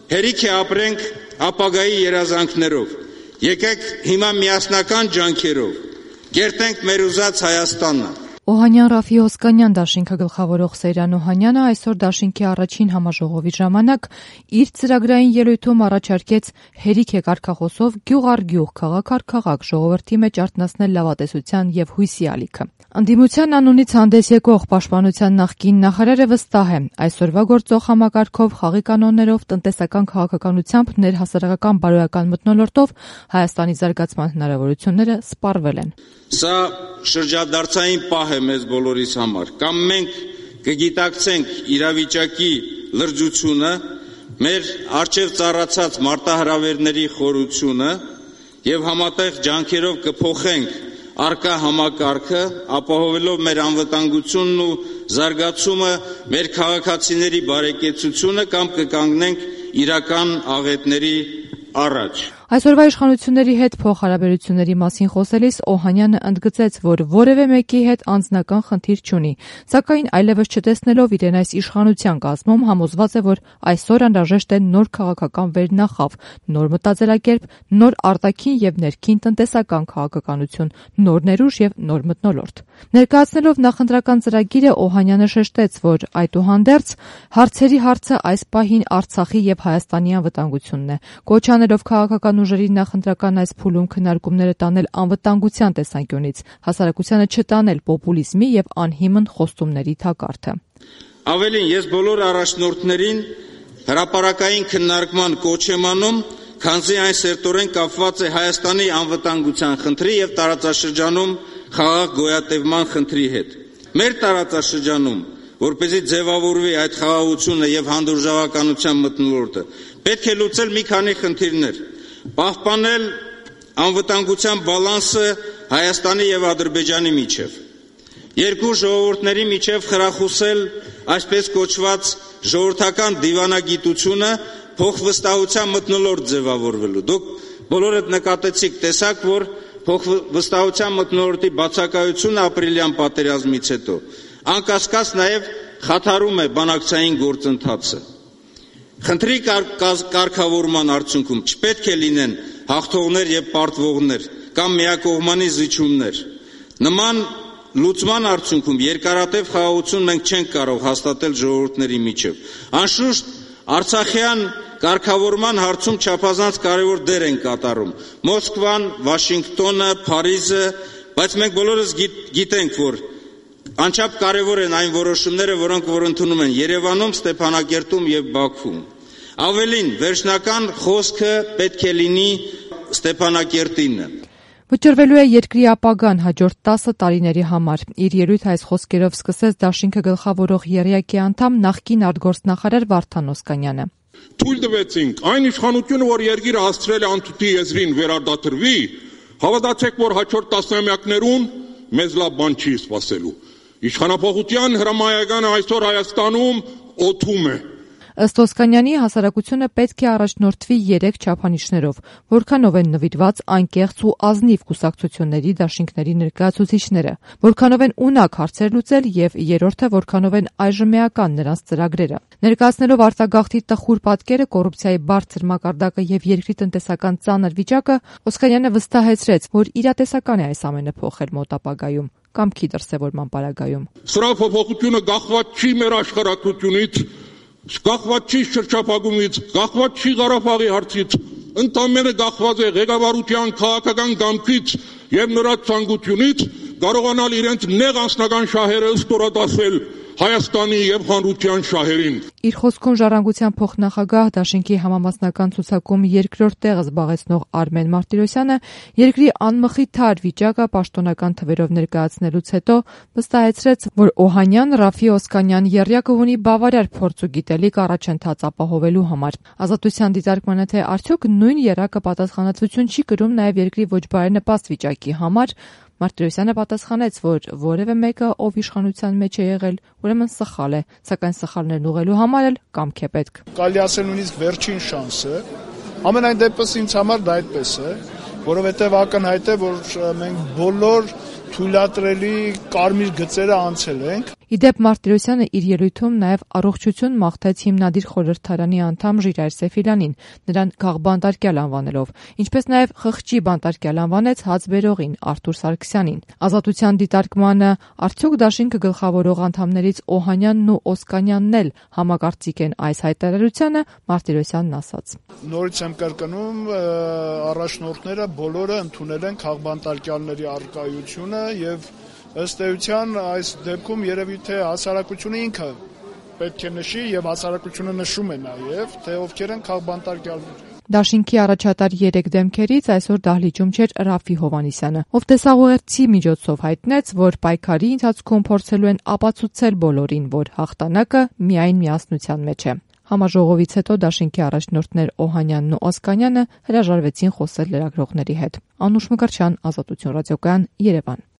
Հերիք է ապրենք ապագայի երազանքներով։ Եկեք հիմա միասնական ջանքերով կերտենք մեր ուզած Հայաստանը։ Օհանյան Ռաֆի Օսկանյան դաշինքը գլխավորող Սեյրան Օհանյանը այսօր դաշինքի առաջին համաժողովի ժամանակ իր ծրագրային ելույթում առաջարկեց հերիք է կարգախոսով գյուղ առ գյուղ, քաղաք առ քաղաք ժողովրդի մեջ արթնացնել լավատեսության եւ հույսի ալիքը։ Անդիմության անունից հանդես եկող պաշտպանության նախկին նախարարը վստահ է, այսօրվա գործող համակարգով, խաղի կանոններով, տնտեսական քաղաքականությամբ, ներհասարակական բարոյական մթնոլորտով Հայաստանի զարգացման հնարավորությունները սպառվել են։ Սա շրջադարձային պահ է մեզ բոլորիս համար, կամ մենք կգիտակցենք իրավիճակի լրջությունը, մեր առջև ծառացած մարտահրավերների խորությունը եւ համատեղ ջանքերով կփոխենք առկա համակարգը, ապահովելով մեր անվտանգությունն ու զարգացումը, մեր քաղաքացիների բարեկեցությունը, կամ կկանգնենք իրական աղետների առաջ։ Այսօրվա իշխանությունների հետ փոխհարաբերությունների մասին խոսելիս Օհանյանը ընդգծեց, որ որևէ մեկի հետ անձնական խնդիր չունի, սակայն այլևս չտեսնելով իրեն այս իշխանության կազմում համոզված է, որ այսօր անհրաժեշտ է նոր քաղաքական վերնախավ, նոր մտածելակերպ, նոր արտաքին եւ ներքին տնտեսական քաղաքականություն, նոր ներուժ եւ նոր մթնոլորտ։ Ներկայացնելով նախընտրական ծրագիրը Օհանյանը շեշտեց, որ այդուհանդերձ հարցերի հարցը այս պահին Արցախի եւ Հայաստանի անվտանգությունն է, կոչ անելով քաղաքական ուժերի նախընտրական այս փուլում քննարկումները տանել անվտանգության տեսանկյունից, հասարակությանը չտանել պոպուլիզմի եւ անհիմն խոստումների թակարդը։ Ավելին, ես բոլոր առաջնորդներին հրապարակային քննարկման կոչ եմ անում, քանզի այն սերտորեն կապված է Հայաստանի անվտանգության խնդրի եւ տարածաշրջանում խաղաղ գոյատևման խնդրի հետ։ Մեր տարածաշրջանում, որպեսզի ձևավորվի այդ խաղաղությունը եւ հանդուրժողականության մթնոլորտը, պետք է լուծել մի քանի խնդիրներ։ Պահպանել անվտանգության բալանսը Հայաստանի եւ Ադրբեջանի միջև, երկու ժողովուրդների միջև խրախուսել այսպես կոչված ժողովրդական դիվանագիտությունը փոխվստահության մթնոլորտ ձևավորվելու։ Դուք բոլորդ նկատեցիք, տեսաք, որ փոխվստահության մթնոլորտի բացակայությունը ապրիլյան պատերազմից հետո անկասկած նաեւ խաթարում է բանակցային գործընթացը։ Խնդրի կարգավորման արդյունքում չպետք է լինեն հաղթողներ եւ պարտվողներ կամ միակողմանի զիջումներ։ Նման լուծման արդյունքում երկարատև խաղաղություն մենք չենք կարող հաստատել ժողովուրդների միջև։ Անշուշտ Արցախյան կարգավորման հարցում չափազանց կարևոր դեր են կատարում Մոսկվան, Վաշինգտոնը, Փարիզը, բայց մենք բոլորս գիտենք, որ անչափ կարևոր են այն որոշումները, որոնք ընդունում են Երևանում, Ստեփանակերտում եւ Բաքվում։ Ավելին, վերջնական խոսքը պետք է լինի Ստեփանակերտինը։ Վճռվելու է երկրի ապագան հաջորդ 10 տարիների համար։ Իր ելույթը այս խոսքերով սկսեց դաշինքը գլխավորող ԵՌԵԱԿ-ի անդամ նախկին արտգործնախարար Վարդան Օսկանյանը։ Թույլ տվեցինք այն իշխանությունը, որ երկիրը հասցրել է անթութի եզրին վերարտադրվի, հավատացեք, որ հաջորդ տասնամյակներուն մեզ լավ բան չի սպասելու։ Իշխանափոխության հրամայականը այսօր Հայաստանում օդում է։ Ըստ Օսկանյանի, հասարակությունը պետք է առաջնորդվի 3 չափանիշներով, որքանով են նվիրված անկեղծ ու ազնիվ կուսակցությունների դաշինքների ներկայացուցիչները, որքանով են ունակ հարցեր լուծել եւ երրորդը որքանով են այժմեական նրանց ծրագրերը։ Ներկայացնելով արտագաղթի տխուր պատկերը, կոռուպցիայի բարձր մակարդակը եւ երկրի տնտեսական ծանր վիճակը, Օսկանյանը վստահեցրեց, որ իրատեսական է այս ամենը փոխել մոտ ապագայում կամքի դրսևորման պարագայում։ Սրա փոփոխությունը գաղված չի մեր աշխարհակրությունից, գաղված չի շրջափակումից, գաղված չի Ղարաբաղի հարցից, ընդամենը գաղված է ղեկավարության քաղաքական կամքից եւ նրա ցանկությունից կարողանալ իրենց նեղ անձնական շահերը ստորադասել Հայաստանի եւ հանրության շահերին։ Իր խոսքում ժառանգության փոխնախագահ դաշինքի համամասնական ցուցակում երկրորդ տեղը զբաղեցնող Արմեն Մարտիրոսյանը երկրի անմխիթար վիճակը պաշտոնական թվերով ներկայացնելուց հետո վստահեցրեց, որ Օհանյան, Ռաֆի Օսկանյան ԵՌԵԱԿ-ը ունի բավարար փորձ ու գիտելիք առաջընթաց ապահովելու համար։ Ազատության դիտարկմանը թե արդյոք նույն ԵՌԵԱԿ-ը պատասխանատվություն չի կրում նաեւ երկրի ոչ բարենպաստ վիճակի համար, Մարտիրոսյանը պատասխանեց, որ որևէ մեկը, ով իշխանության մեջ է եղել, ուրեմն սխալ է, սակայն սխալներն ուղղելու համար էլ կամք է պետք։ Կարելի ասել նույնիսկ վերջին շանսը, ամենայն դեպս ինձ համար դա այդպես է, որովհետև ակնհայտ է, որ մենք բոլոր թույլատրելի կարմիր գծերը անցել ենք։ Իդեպ Մարտիրոսյանը իր ելույթում նաև առողջություն մաղթեց հիմնադիր խորհրդարանի անդամ Ժիրայր Սեֆիլյանին, նրան քաղբանտարկյալ անվանելով, ինչպես նաև խղճի բանտարկյալ անվանեց հացբերողին Արթուր Սարգսյանին։ Ազատության դիտարկմանը արդյոք դաշինքը գլխավորող անդամներից Օհանյանն ու Օսկանյանն էլ համակարծիք են այս հայտարարությանը, Մարտիրոսյանն ասաց. Նորից եմ կրկնում, առաջնորդները բոլորը ընդունել են քաղբանտարկյալների առկայությունը եւ ըստ էության այս դեպքում երևի թե հասարակությունը ինքը պետք է նշի եւ հասարակությունը նշում է նաեւ, թե ովքեր են քաղբանտարկյալները։ Դաշինքի առաջատար 3 դեմքերից այսօր դահլիճում չէր Ռաֆի Հովհաննիսյանը, ով տեսաղուերցի միջոցով հայտնեց, որ պայքարի ընթացքում փորձելու են ապացուցել բոլորին, որ հաղթանակը միայն միասնության մեջ է։ Համաժողովից հետո դաշինքի առաջնորդներ Օհանյանն ու Օսկանյանը հրաժարվեցին խոսել լրագրողների հետ։ Անուշ Մկրտչյան, Ազատություն ռադիոկայան, Երևան։